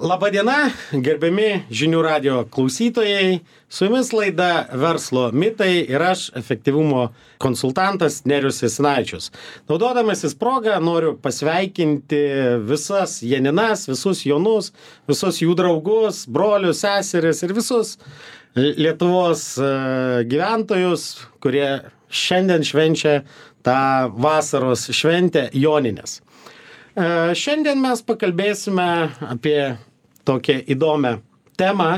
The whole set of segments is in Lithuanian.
Labadiena, gerbiami žinių radio klausytojai. Su jumis laida Verslo mitai ir aš, efektyvumo konsultantas Nerijus Jasinavičius. Naudodamasis progą noriu pasveikinti visas Janinas, visus Jonus, visus jų draugus, brolius, seseris ir visus Lietuvos gyventojus, kurie šiandien švenčia tą vasaros šventę Jonines. Šiandien mes pakalbėsime apie tokią įdomią temą,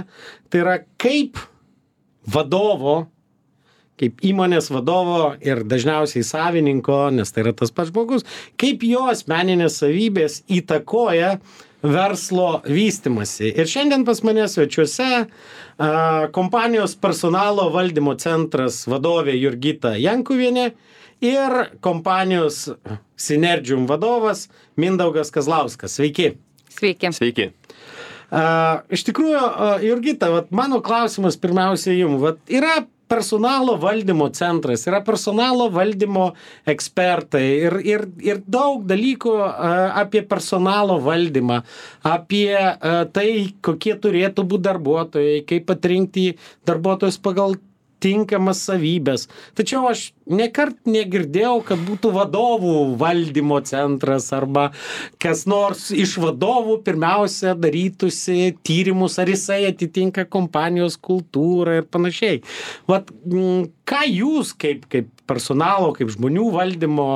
tai yra kaip vadovo, kaip įmonės vadovo ir dažniausiai savininko, nes tai yra tas pats žmogus, kaip jo asmeninės savybės įtakoja verslo vystymasi. Ir šiandien pas mane svečiuose kompanijos personalo valdymo centras vadovė Jurgita Jankuvienė ir kompanijos Synergium vadovas Mindaugas Kazlauskas. Sveiki. Sveiki. Sveiki. Iš tikrųjų, Jurgita, mano klausimas pirmiausia jums. Yra personalo valdymo centras, yra personalo valdymo ekspertai ir daug dalykų apie personalo valdymą, apie tai, kokie turėtų būti darbuotojai, kaip atrinkti darbuotojus pagal tinkamas savybės. Tačiau aš nekart negirdėjau, kad būtų vadovų valdymo centras arba kas nors iš vadovų pirmiausia darytųsi tyrimus, ar jisai atitinka kompanijos kultūrą ir panašiai. Ką jūs kaip personalo, kaip žmonių valdymo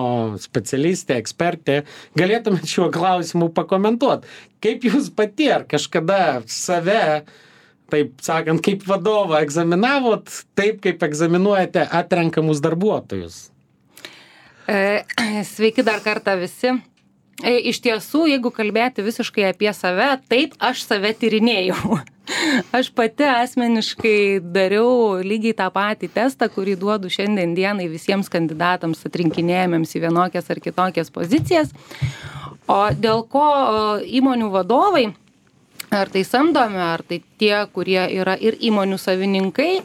specialistė, ekspertė, galėtumėte šiuo klausimu pakomentuoti? Kaip jūs pati ar kažkada save, taip sakant, kaip vadovą egzaminavot, taip kaip egzaminuojate atrenkamus darbuotojus? Sveiki dar kartą visi. Iš tiesų, jeigu kalbėti visiškai apie save, taip aš save tyrinėjau. Aš pati asmeniškai dariau lygiai tą patį testą, kurį duodu šiandien dienai visiems kandidatams atrinkinėjamiems į vienokias ar kitokias pozicijas. O dėl ko įmonių vadovai, ar tai samdomi, ar tai tie, kurie yra ir įmonių savininkai,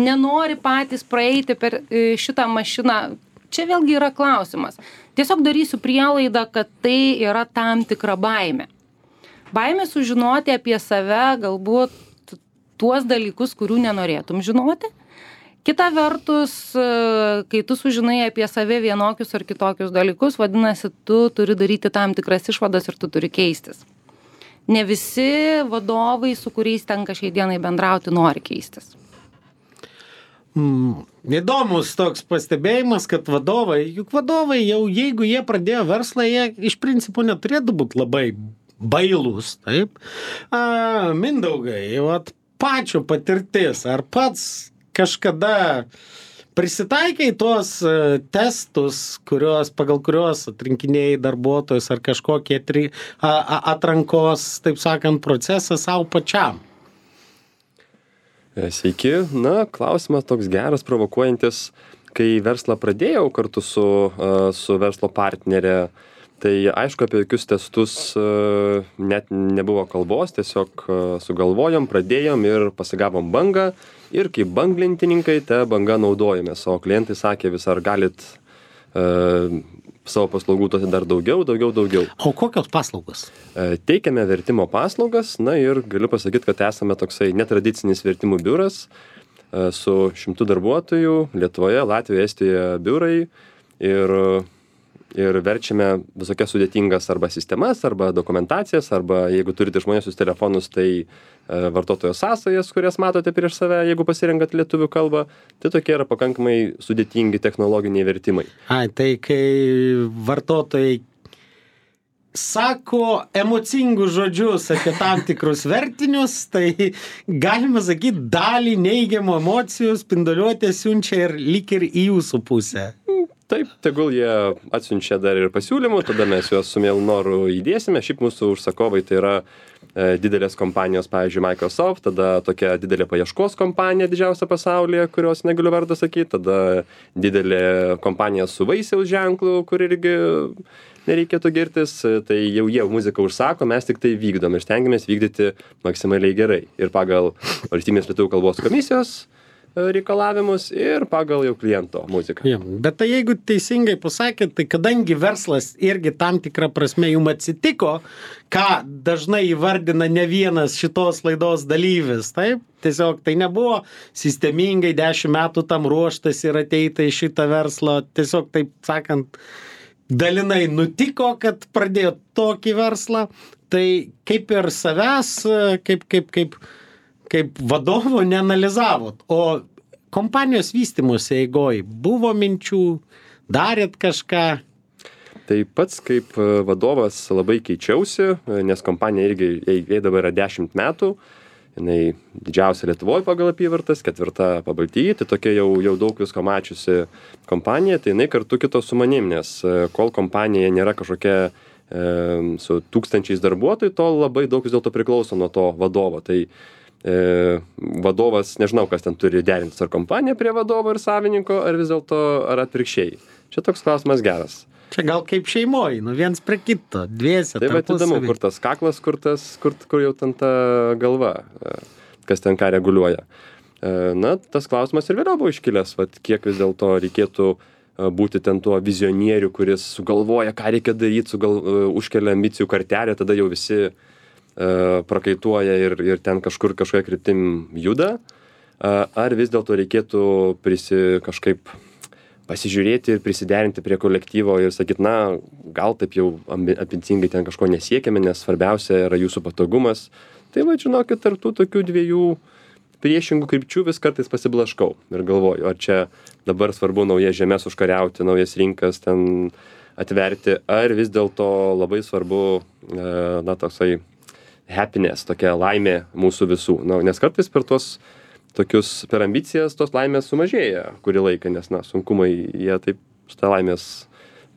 nenori patys praeiti per šitą mašiną. Čia vėlgi yra klausimas. Tiesiog darysiu prielaidą, kad tai yra tam tikra baimė. Baimė sužinoti apie save galbūt tuos dalykus, kurių nenorėtum žinoti. Kita vertus, kai tu sužinai apie save vienokius ar kitokius dalykus, vadinasi, tu turi daryti tam tikras išvadas ir tu turi keistis. Ne visi vadovai, su kuriais tenka šiai dienai bendrauti, nori keistis. Įdomus toks pastebėjimas, kad vadovai jau, jeigu jie pradėjo verslą, jie iš principo neturėtų būti labai bailūs, taip? Mindaugai, pačio patirtis, ar pats kažkada prisitaikai tuos testus, pagal kuriuos atrinkinėjai darbuotojus ar kažkokie atrankos, taip sakant, procesą savo pačiam? Sveiki. Klausimas toks geras, provokuojantis. Kai verslą pradėjau kartu su verslo partnerė, tai aišku, apie jokius testus net nebuvo kalbos, tiesiog sugalvojom, pradėjom ir pasigavom bangą. Ir kaip banglentininkai tą bangą naudojomės, o klientai sakė vis, ar galit savo paslaugų duoti dar daugiau. O kokios paslaugos? Teikiame vertimo paslaugas, ir galiu pasakyti, kad esame toksai netradicinis vertimų biuras su 100 darbuotojų Lietuvoje, Latvijoje, Estijoje biurai ir verčiame visokias sudėtingas arba sistemas, arba dokumentacijas, arba jeigu turite išmaniuosius telefonus, tai vartotojo sąsajas, kurias matote prieš save, jeigu pasirenkat lietuvių kalbą, tai tokie yra pakankamai sudėtingi technologiniai vertimai. Tai kai vartotojai sako emocingus žodžius apie tam tikrus vertinius, tai galima sakyti, dalį neigiamų emocijų spinduliuotė siunčia ir lyg ir į jūsų pusę. Taip, tegul jie atsiunčia dar ir pasiūlymų, tada mes juos su mielu noru įdėsime. Šiaip mūsų užsakovai tai yra didelės kompanijos, pavyzdžiui, Microsoft, tada tokia didelė paieškos kompanija didžiausia pasaulyje, kurios negaliu vardą sakyti, tada didelė kompanija su vaisiaus ženklu, kur irgi nereikėtų girtis, tai jau jie muziką užsako, mes tik tai vykdom ir stengiamės vykdyti maksimaliai gerai. Ir pagal Valstybinės lietuvių kalbos komisijos reikalavimus ir pagal jau kliento muziką. Ja, bet tai jeigu teisingai pasakėt, tai kadangi verslas irgi tam tikrą prasme jums atsitiko, ką dažnai įvardina ne vienas šitos laidos dalyvis, taip? Tiesiog tai nebuvo sistemingai 10 metų tam ruoštas ir ateita į šitą verslą, tiesiog taip sakant, dalinai nutiko, kad pradėjo tokį verslą, tai kaip ir savęs, kaip vadovo neanalizavot, o kompanijos vystymosi eigoj buvo minčių, darėt kažką? Tai pats kaip vadovas labai keičiausi, nes kompanija irgi jai dabar yra 10 metų, jinai didžiausia Lietuvoje pagal apyvartas, 4 Pabaltyje, tai tokia jau daug visko mačiusi kompanija, tai jinai kartu kito su manim, nes kol kompanija nėra kažkokia su tūkstančiais darbuotojų, to labai daug vis dėlto priklauso nuo to vadovo. Tai vadovas, nežinau, kas ten turi derintis, ar kompanija prie vadovo ir savininko, ar vis dėlto, ar atvirkščiai. Čia toks klausimas geras. Čia gal kaip šeimoj, viens prie kito, dviese. Tai va, įdomu, kur tas kaklas, kur jau ten ta galva, kas ten ką reguliuoja. Na, tas klausimas ir vėliau buvo iškilęs, kiek vis dėlto reikėtų būti ten tuo vizionieriu, kuris sugalvoja, ką reikia daryti, užkelia ambicijų kartelę, tada jau visi prakaituoja ir ten kažkokia kryptim juda. Ar vis dėlto reikėtų kažkaip pasižiūrėti ir prisiderinti prie kolektyvo ir sakyti, na, gal taip jau ambicingai ten kažko nesiekėme, nes svarbiausia yra jūsų patogumas. Tai va, žinokit, tarp tų tokių dviejų priešingų krypčių vis kartais pasiblaškau ir galvoju, ar čia dabar svarbu naujas žemės užkariauti, naujas rinkas ten atverti, ar vis dėlto labai svarbu, na, toksai happiness, tokia laimė mūsų visų. Na, nes kartais per ambicijas tos laimės sumažėja kurį laiką, nes, na, sunkumai jie taip, šitą laimės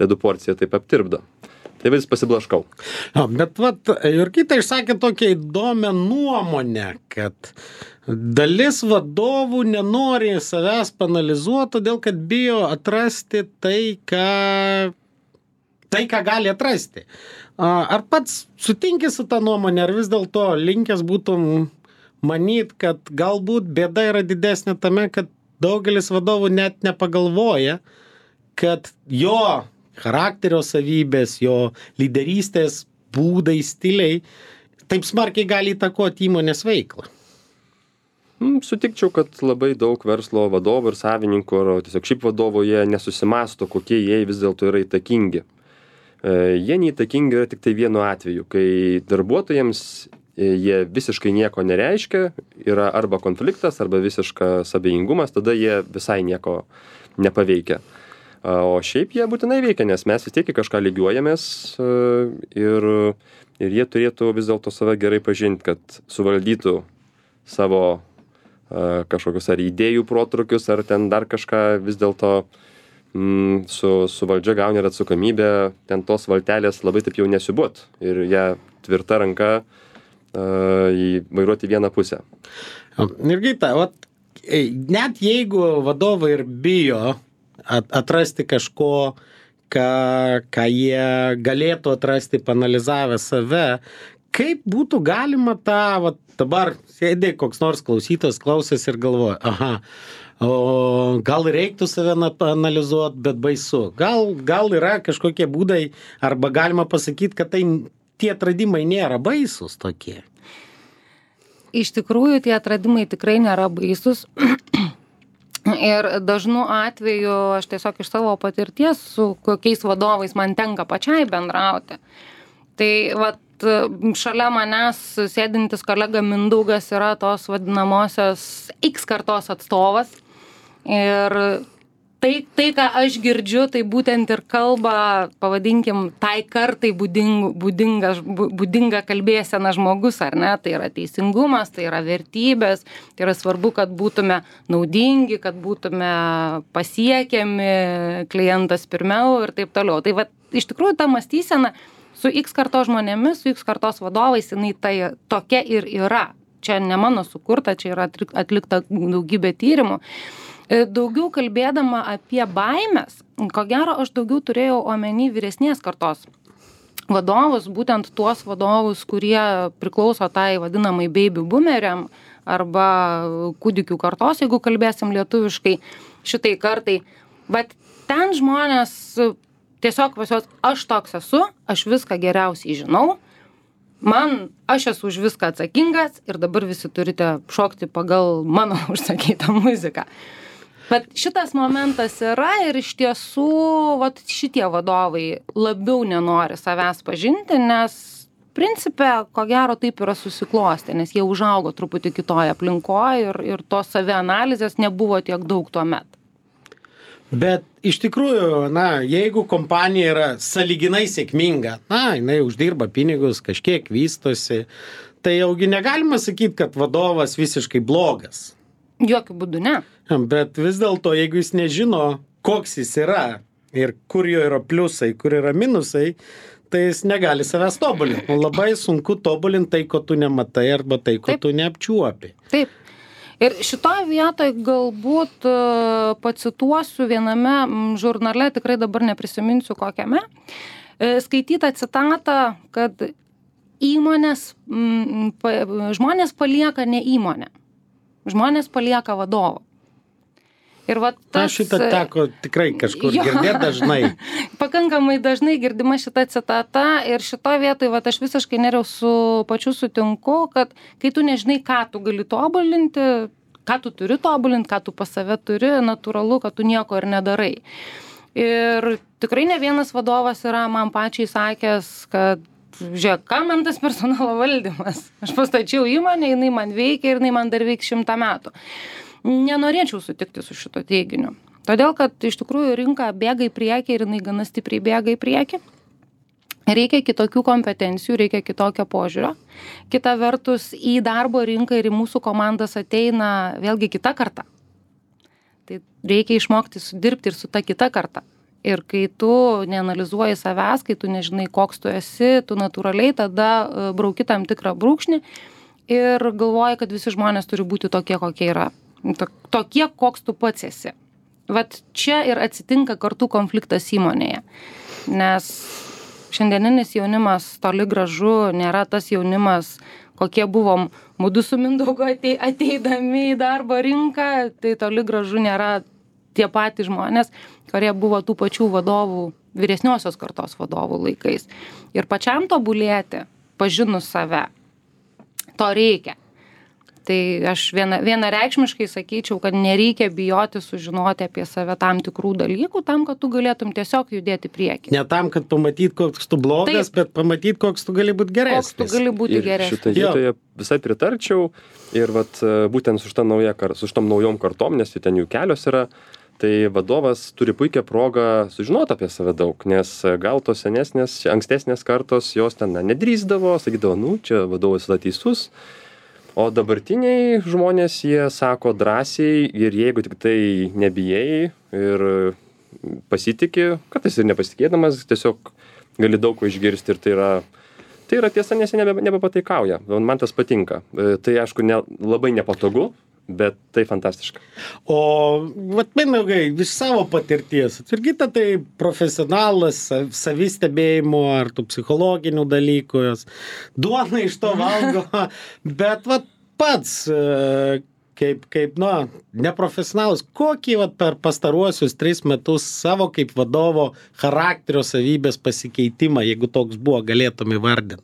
ledų porciją taip aptirpdo. Tai vis pasiblaškau. Bet Jurgita išsakė tokią įdomią nuomonę, kad dalis vadovų nenori savęs panalizuoti, todėl kad bijo atrasti tai, ką gali atrasti. Ar pats sutinki su tą nuomonę, ar vis dėlto linkęs būtum manyt, kad galbūt bėda yra didesnė tame, kad daugelis vadovų net nepagalvoja, kad jo charakterio savybės, jo lyderystės būdai, stiliai taip smarkiai gali įtakoti įmonės veiklą? Sutikčiau, kad labai daug verslo vadovų ir savininkų, ar tiesiog šiaip vadovų, jie nesusimąsto, kokie jie vis dėlto yra įtakingi. Jie neįtakingi yra tik tai vienu atveju, kai darbuotojams jie visiškai nieko nereiškia, yra arba konfliktas, arba visiškas abejingumas, tada jie visai nieko nepaveikia. O šiaip jie būtinai veikia, nes mes vis tiek į kažką lygiuojamės ir jie turėtų vis dėlto save gerai pažinti, kad suvaldytų savo kažkokius ar idėjų protrukius, ar ten dar kažką vis dėlto su valdžia gauni ir atsakomybę, ten tos valtelės labai taip jau nesiubot ir ją tvirta ranka vairuoti vieną pusę. Jurgita, net jeigu vadovai ir bijo atrasti kažko, ką jie galėtų atrasti panalizavę save, kaip būtų galima dabar sėdė koks nors klausytojas, klausės ir galvoja, gal reiktų save analizuoti, bet baisu. Gal yra kažkokie būdai, arba galima pasakyti, kad tie atradimai nėra baisus tokie. Iš tikrųjų, tie atradimai tikrai nėra baisus. Ir dažnu atveju aš tiesiog iš savo patirties, su kokiais vadovais man tenka pačiai bendrauti. Tai šalia manęs sėdintis kolega Mindaugas yra tos vadinamosios X kartos atstovas. Ir tai ką aš girdžiu, tai būtent ir kalba, pavadinkim, tai kartai būdinga kalbėsena žmogus, ar ne? Tai yra teisingumas, tai yra vertybės, tai yra svarbu, kad būtume naudingi, kad būtume pasiekiami, klientas pirmiau ir taip toliau. Tai iš tikrųjų ta mąstysena su X kartos žmonėmis, su X kartos vadovais, jinai tai tokia ir yra. Čia ne mano sukurta, čia yra atlikta daugybė tyrimų. Daugiau kalbėdama apie baimės, ko gero aš daugiau turėjau omeny vyresnės kartos vadovus, būtent tuos vadovus, kurie priklauso tai vadinamai baby boomeriam arba kūdikių kartos, jeigu kalbėsim lietuviškai, šitai kartai. Bet ten žmonės tiesiog pasios, aš toks esu, aš viską geriausiai žinau, aš esu už viską atsakingas ir dabar visi turite šokti pagal mano užsakytą muziką. Bet šitas momentas yra ir iš tiesų šitie vadovai labiau nenori savęs pažinti, nes principe, ko gero, taip yra susiklostę, nes jie užaugo truputį kitoje aplinkoje ir tos savianalizės nebuvo tiek daug tuomet. Bet iš tikrųjų, jeigu kompanija yra sąlyginai sėkminga, jinai uždirba pinigus, kažkiek vystosi, tai jaugi negalima sakyti, kad vadovas visiškai blogas. Jokių būdų ne. Bet vis dėlto, jeigu jis nežino, koks jis yra ir kur jo yra pliusai, kur yra minusai, tai jis negali savęs tobulinti. Labai sunku tobulinti tai, ko tu nematai arba tai, ko tu neapčiuopi. Taip. Ir šitoje vietoje galbūt pacituosiu viename žurnale, tikrai dabar neprisiminsiu kokiame, skaitytą citatą, kad žmonės palieka ne įmonę. Žmonės palieka vadovą. Ir šitą teko tikrai kažkur girdėti dažnai. Pakankamai dažnai girdima šita citata ir šitoje vietoje aš visiškai su pačiu sutinku, kad kai tu nežinai, ką tu gali tobulinti, ką tu turi tobulinti, ką tu pas save turi, natūralu, kad tu nieko ir nedarai. Ir tikrai ne vienas vadovas yra man pačiai sakęs, kad žiūrėk, ką man tas personalo valdymas? Aš pastačiau įmonę, jinai man veikia ir jinai man dar veiks 100 metų. Nenorėčiau sutikti su šito teiginiu. Todėl, kad iš tikrųjų rinka bėga į priekį ir jinai gana stipriai bėga į priekį. Reikia kitokių kompetencijų, reikia kitokio požiūrio. Kita vertus, į darbo rinką ir į mūsų komandas ateina vėlgi kita karta. Tai reikia išmokti dirbti ir su ta kita karta. Ir kai tu neanalizuoji savęs, kai tu nežinai, koks tu esi, tu natūraliai tada brauki tam tikrą brūkšnį ir galvoji, kad visi žmonės turi būti tokie, kokie yra. Tokie, koks tu pats esi. Čia ir atsitinka kartų konfliktas įmonėje. Nes šiandieninis jaunimas toli gražu nėra tas jaunimas, kokie buvom mudu su Mindaugu ateidami į darbo rinką, tai toli gražu nėra tie patys žmonės, kurie buvo tų pačių vadovų, vyresniosios kartos vadovų laikais. Ir pačiam tobulėti, pažinus save, to reikia. Tai aš vienareikšmiškai sakyčiau, kad nereikia bijoti sužinoti apie save tam tikrų dalykų, tam, kad tu galėtum tiesiog judėti priekį. Ne tam, kad pamatyt, koks tu blogas, bet pamatyt, koks tu gali būti geresnis. Koks tu gali būti geresnis. Ir šitą vietoje visai pritarčiau. Ir būtent su šitom naujom kartom, nes ten jų kelios yra, tai vadovas turi puikią progą sužinoti apie save daug, nes gal tos ankstesnės kartos jos ten nedrįsdavo, sakydavo, čia vadovas yra teisus, o dabartiniai žmonės jie sako drąsiai ir jeigu tik tai nebijai ir pasitiki, kartais ir nepasitikėdamas, tiesiog gali daug ko išgirsti ir tai yra tiesa, nes jie nebepataikauja. Man tas patinka. Tai aišku labai nepatogu, bet tai fantastiška. O Mindaugai, iš savo patirties, Jurgita tai profesionalas savistebėjimo ar tų psichologinių dalykų, duona iš to valgo, bet pats kaip neprofesionalas, kokį per pastaruosius 3 metus savo kaip vadovo charakterio savybės pasikeitimą, jeigu toks buvo, galėtum įvardinti?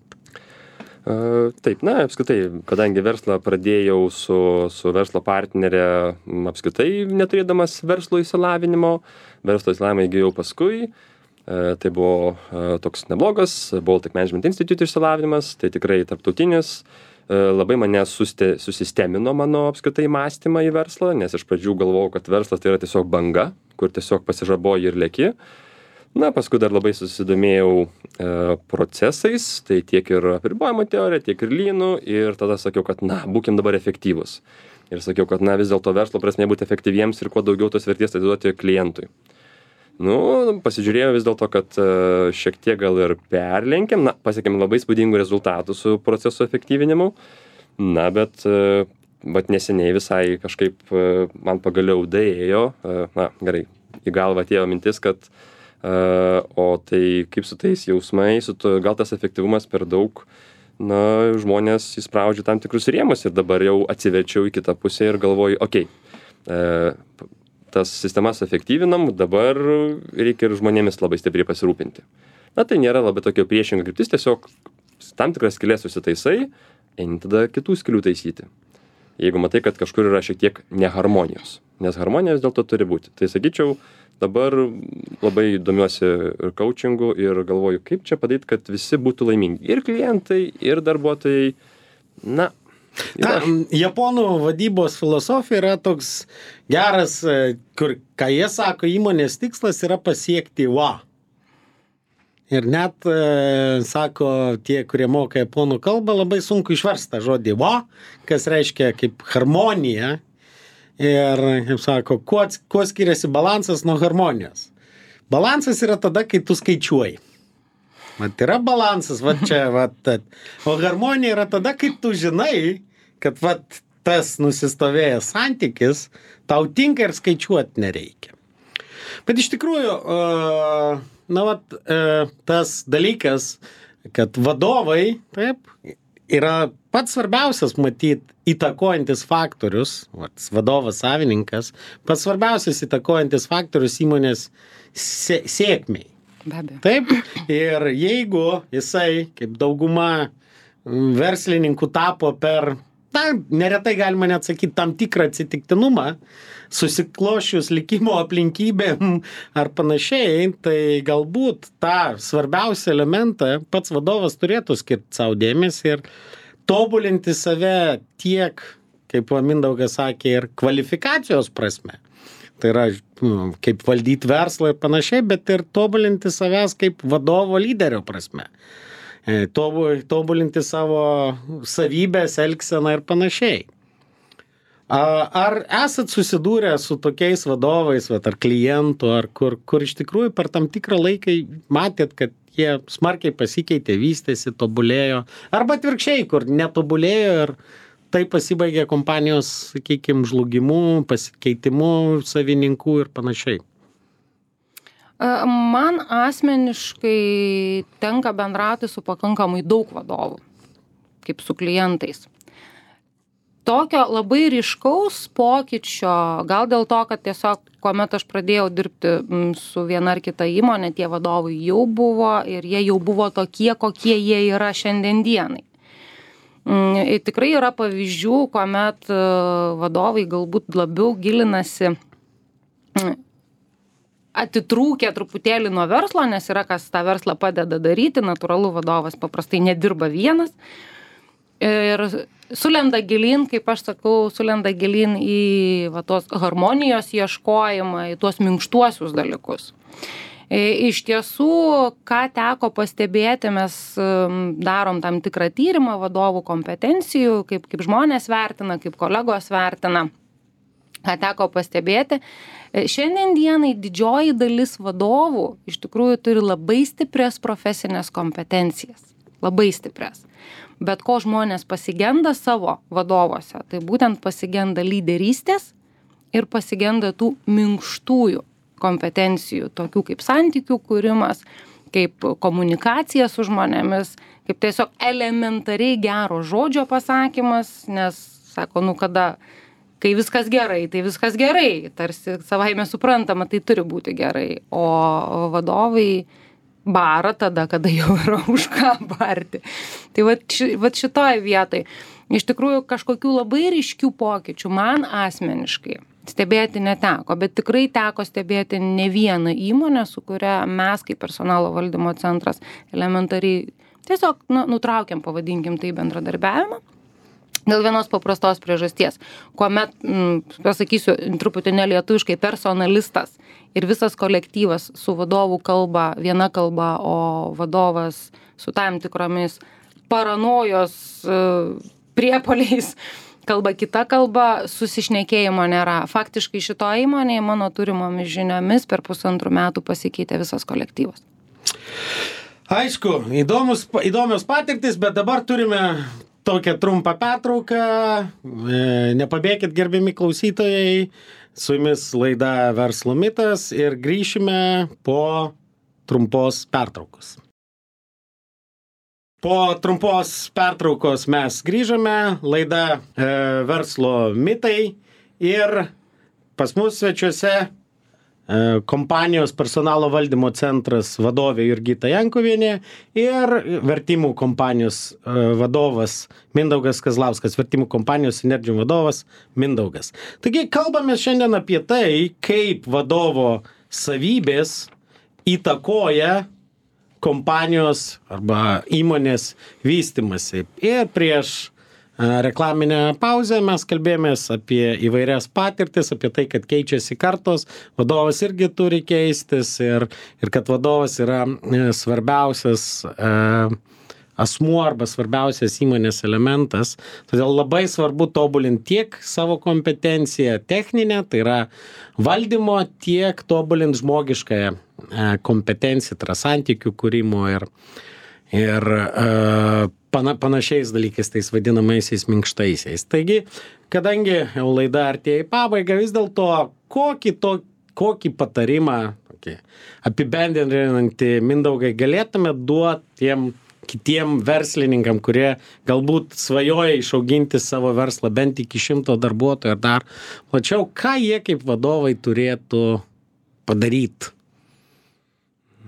Taip, apskritai, kadangi verslą pradėjau su verslo partnerė, apskritai neturėdamas verslo įsilavinimo, verslo įsilavinimą įgijau paskui, tai buvo toks neblogas Baltic Management Institute išsilavinimas, tai tikrai tarptautinis, labai mane susistemino mano apskritai mąstymą į verslą, nes iš pradžių galvojau, kad verslas tai yra tiesiog banga, kur tiesiog pasižaboji ir leki. Paskui dar labai susidomėjau procesais, tai tiek ir apribojimo teorija, tiek ir lynų, ir tada sakiau, kad būkim dabar efektyvūs. Ir sakiau, kad vis dėlto verslo prasme būti efektyviems ir kuo daugiau tos vertės atiduoti klientui. Pasižiūrėjau vis dėlto, kad šiek tiek gal ir perlenkėm, pasiekėm labai spūdingų rezultatų su proceso efektyvinimu, bet neseniai visai kažkaip man pagaliau daėjo, gerai, į galvą atėjo mintis, kad O tai kaip su tais jausmais, gal tas efektyvumas per daug, žmonės įspraudžia tam tikrus rėmus ir dabar jau atsiverčiau į kitą pusę ir galvoju, tas sistemas efektyvinam, dabar reikia ir žmonėmis labai stipriai pasirūpinti. Tai nėra labai tokio priešinga kryptis, tiesiog tam tikras skylės susitaisai, eini tada kitų skylių taisyti. Jeigu matai, kad kažkur yra šiek tiek neharmonijos, nes harmonijos dėl to turi būti. Tai sakyčiau, dabar labai domiuosi ir coachingu ir galvoju, kaip čia padaryti, kad visi būtų laimingi. Ir klientai, ir darbuotojai. Japonų vadybos filosofija yra toks geras, kur, ką jie sako, įmonės tikslas yra pasiekti wa. Ir net, sako, tie, kurie moka japonų kalbą, labai sunku išversti žodį wa, kas reiškia kaip harmonija. Ir, kaip sako, kuo skiriasi balansas nuo harmonijos? Balansas yra tada, kai tu skaičiuoji. Yra balansas, čia. O harmonija yra tada, kai tu žinai, kad tas nusistovėjęs santykis tau tinka ir skaičiuoti nereikia. Bet iš tikrųjų, tas dalykas, kad vadovai, yra pats svarbiausias, matyt, įtakojantis faktorius, vadovas, savininkas, pats svarbiausias įtakojantis faktorius įmonės sėkmei. Be abejo. Taip, ir jeigu jisai, kaip dauguma verslininkų tapo per, neretai galima net sakyti, tam tikrą atsitiktinumą, susiklošius likimo aplinkybėm ar panašiai, tai galbūt tą svarbiausią elementą pats vadovas turėtų skirti savo dėmesį ir tobulinti save tiek, kaip Mindaugas sakė, ir kvalifikacijos prasme. Tai yra, kaip valdyti verslą ir panašiai, bet ir tobulinti savęs kaip vadovo lyderio prasme. Tobulinti savo savybės, elgseną ir panašiai. Ar esat susidūrę su tokiais vadovais, ar klientų, ar kur iš tikrųjų per tam tikrą laiką matėt, kad jie smarkiai pasikeitė, vystėsi, tobulėjo, arba atvirkščiai, kur netobulėjo ir tai pasibaigė kompanijos, sakykime, žlugimu, pasikeitimu savininkų ir panašiai? Man asmeniškai tenka bendrauti su pakankamai daug vadovų, kaip su klientais. Tokio labai ryškaus pokyčio, gal dėl to, kad tiesiog, kuomet aš pradėjau dirbti su viena ar kita įmonė, tie vadovai jau buvo ir jie jau buvo tokie, kokie jie yra šiandien dienai. Tikrai yra pavyzdžių, kuomet vadovai galbūt labiau gilinasi, atitrūkę truputėlį nuo verslo, nes yra kas tą verslą padeda daryti, natūralu vadovas paprastai nedirba vienas. Ir sulenda gilin, kaip aš sakau, sulenda gilin į tos harmonijos ieškojimą, į tuos minkštuosius dalykus. Iš tiesų, ką teko pastebėti, mes darom tam tikrą tyrimą vadovų kompetencijų, kaip žmonės vertina, kaip kolegos vertina, ką teko pastebėti. Šiandien dienai didžioji dalis vadovų iš tikrųjų turi labai stiprias profesinės kompetencijas. Labai stiprias. Bet ko žmonės pasigenda savo vadovuose, tai būtent pasigenda lyderystės ir pasigenda tų minkštųjų kompetencijų, tokių kaip santykių kūrimas, kaip komunikacija su žmonėmis, kaip tiesiog elementariai gero žodžio pasakymas, nes, sako, kai viskas gerai, tai viskas gerai, tarsi savaime suprantama, tai turi būti gerai, o vadovai bara tada, kada jau yra už ką barti. Tai vat šitoj vietoj, iš tikrųjų kažkokių labai ryškių pokyčių man asmeniškai stebėti neteko, bet tikrai teko stebėti ne vieną įmonę, su kuria mes kaip personalo valdymo centras elementariai tiesiog nutraukiam, pavadinkim tai, bendradarbiavimą. Dėl vienos paprastos priežasties, kuomet, pasakysiu truputį nelietuviškai, personalistas ir visas kolektyvas su vadovų kalba viena kalba, o vadovas su tam tikromis paranojos priepoliais kalba kita kalba, susišnekėjimo nėra. Faktiškai šitoje įmonėje mano turimomis žiniomis per 1,5 metų pasikeitė visas kolektyvas. Aišku, įdomios patirtis, bet dabar turime tokią trumpą pertrauką. Nepabėkit, gerbiami klausytojai, su jumis laida Verslo mitas ir grįšime po trumpos pertraukos. Po trumpos pertraukos mes grįžome, laida Verslo mitai ir pas mus svečiuose kompanijos personalo valdymo centras vadovė Jurgita Jankuvienė ir vertimų kompanijos vadovas Mindaugas Kazlauskas, vertimų kompanijos Synergium vadovas Mindaugas. Taigi kalbame šiandien apie tai, kaip vadovo savybės įtakoja kompanijos arba įmonės vystymasi. Ir prieš reklaminę pauzę mes kalbėjomės apie įvairias patirtis, apie tai, kad keičiasi kartos, vadovas irgi turi keistis ir kad vadovas yra svarbiausias asmuo arba svarbiausias įmonės elementas. Todėl labai svarbu tobulinti tiek savo kompetenciją techninę, tai yra valdymo, tiek tobulinti žmogiškąją kompetenciją, tai yra santykių kūrimo ir panašiais dalykais, tais vadinamaisiais minkštaisiais. Taigi, kadangi jau laida artėja į pabaigą, vis dėlto kokį patarimą, apibendrinantį Mindaugai, galėtume duoti tiem kitiem verslininkam, kurie galbūt svajoja išauginti savo verslą bent iki 100 darbuotojų ar dar plačiau, ką jie kaip vadovai turėtų padaryti?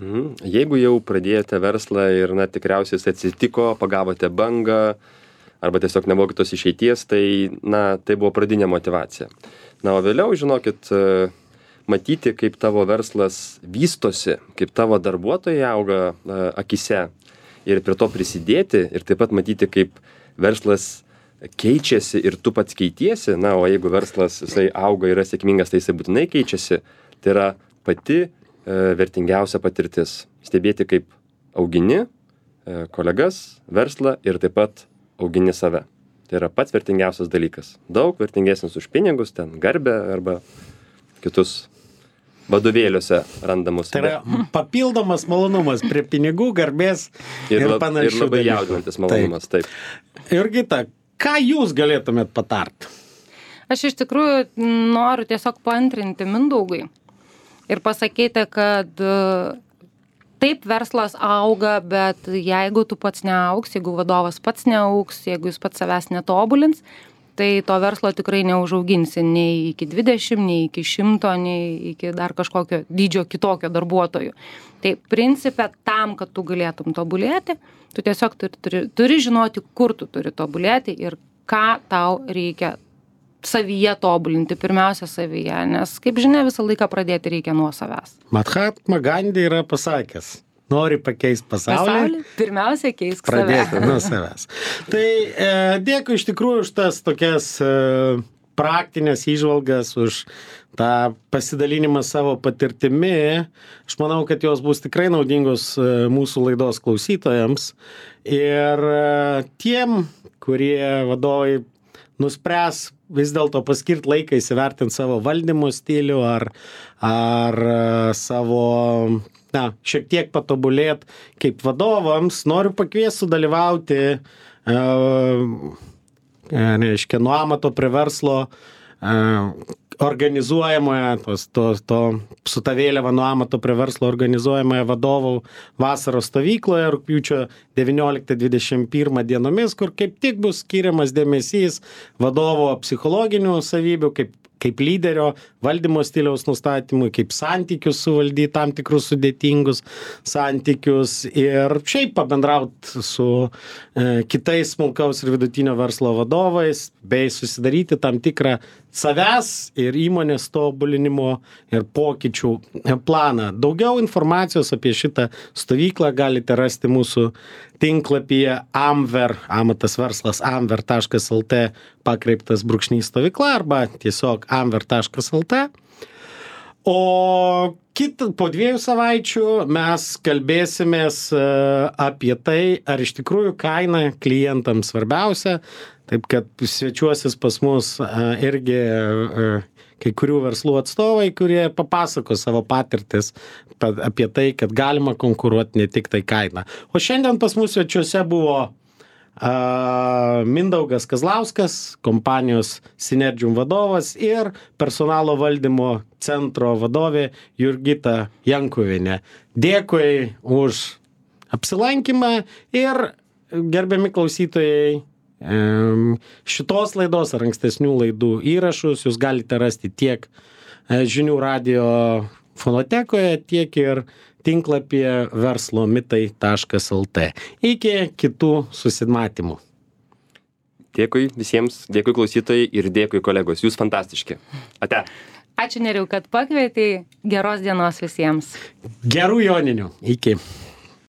Jeigu jau pradėjote verslą ir tikriausiai jis atsitiko, pagavote bangą arba tiesiog nebuvo kitos išeities, tai tai buvo pradinė motyvacija. O vėliau, žinokit, matyti, kaip tavo verslas vystosi, kaip tavo darbuotojai auga akise ir prie to prisidėti ir taip pat matyti, kaip verslas keičiasi ir tu pats keitiesi, o jeigu verslas jisai auga, yra sėkmingas, tai jisai būtinai keičiasi, tai yra pati vertingiausia patirtis. Stebėti, kaip augini kolegas, verslą ir taip pat augini save. Tai yra pats vertingiausias dalykas. Daug vertingesnis už pinigus, ten garbę arba kitus vadovėliuose randamus. Tai yra papildomas malonumas prie pinigų, garbės ir panašių. Ir labai jaudinantis malonumas, taip. Jurgita, ką jūs galėtumėt patarti? Aš iš tikrųjų noriu tiesiog paantrinti Mindaugui ir pasakyti, kad taip verslas auga, bet jeigu tu pats neaugs, jeigu vadovas pats neaugs, jeigu jis pats savęs netobulins, tai to verslo tikrai neužauginsi nei iki 20, nei iki 100, nei iki dar kažkokio dydžio kitokio darbuotojų. Tai principe tam, kad tu galėtum tobulėti, tu tiesiog turi žinoti, kur tu turi tobulėti ir ką tau reikia savyje tobulinti, pirmiausia savyje, nes, kaip žinia, visą laiką pradėti reikia nuo savęs. Mahatma Gandhi yra pasakęs, nori pakeisti pasaulį, pirmiausia keisk save. Pradėti nuo savęs. Tai dėkui iš tikrųjų už tas tokias praktinės įžvalgas, už tą pasidalinimą savo patirtimi. Aš manau, kad jos bus tikrai naudingos mūsų laidos klausytojams. Ir tiem, kurie vadovai nuspręs vis dėlto paskirti laiką įsivertinti savo valdymo stilių ar savo, šiek tiek patobulėti kaip vadovams, noriu pakviesti sudalyvauti nuo amato prie verslo organizuojamoje, su ta vėliava nuo amato prie verslo organizuojamoje vadovų vasaros stovykloje rugpjūčio 19-21 dienomis, kur kaip tik bus skiriamas dėmesys vadovo psichologinių savybių, kaip lyderio valdymo stiliaus nustatymui, kaip santykius suvaldyti tam tikrus sudėtingus santykius ir šiaip pabendrauti su kitais smulkaus ir vidutinio verslo vadovais, bei susidaryti tam tikrą savęs ir įmonės tobulinimo ir pokyčių planą. Daugiau informacijos apie šitą stovyklą galite rasti mūsų tinklapyje Amver, amatas verslas amver.lt /stovykla arba tiesiog amver.lt. O po 2 savaičių mes kalbėsimės apie tai, ar iš tikrųjų kaina klientams svarbiausia. Taip kad svečiuosis pas mus irgi kai kurių verslų atstovai, kurie papasako savo patirtis apie tai, kad galima konkuruoti ne tik tai kainą. O šiandien pas mus svečiuose buvo Mindaugas Kazlauskas, kompanijos Synergium vadovas ir personalo valdymo centro vadovė Jurgita Jankuvienė. Dėkui už apsilankymą ir gerbiami klausytojai, šitos laidos ar ankstesnių laidų įrašus jūs galite rasti tiek Žinių radijo fonotekoje, tiek ir tinklapyje verslomitai.lt. Iki kitų susimatymų. Dėkui visiems, dėkui klausytojai ir dėkui kolegos. Jūs fantastiški. Ate. Ačiū, Nerijau, kad pakvietei. Geros dienos visiems. Gerų joninių. Iki.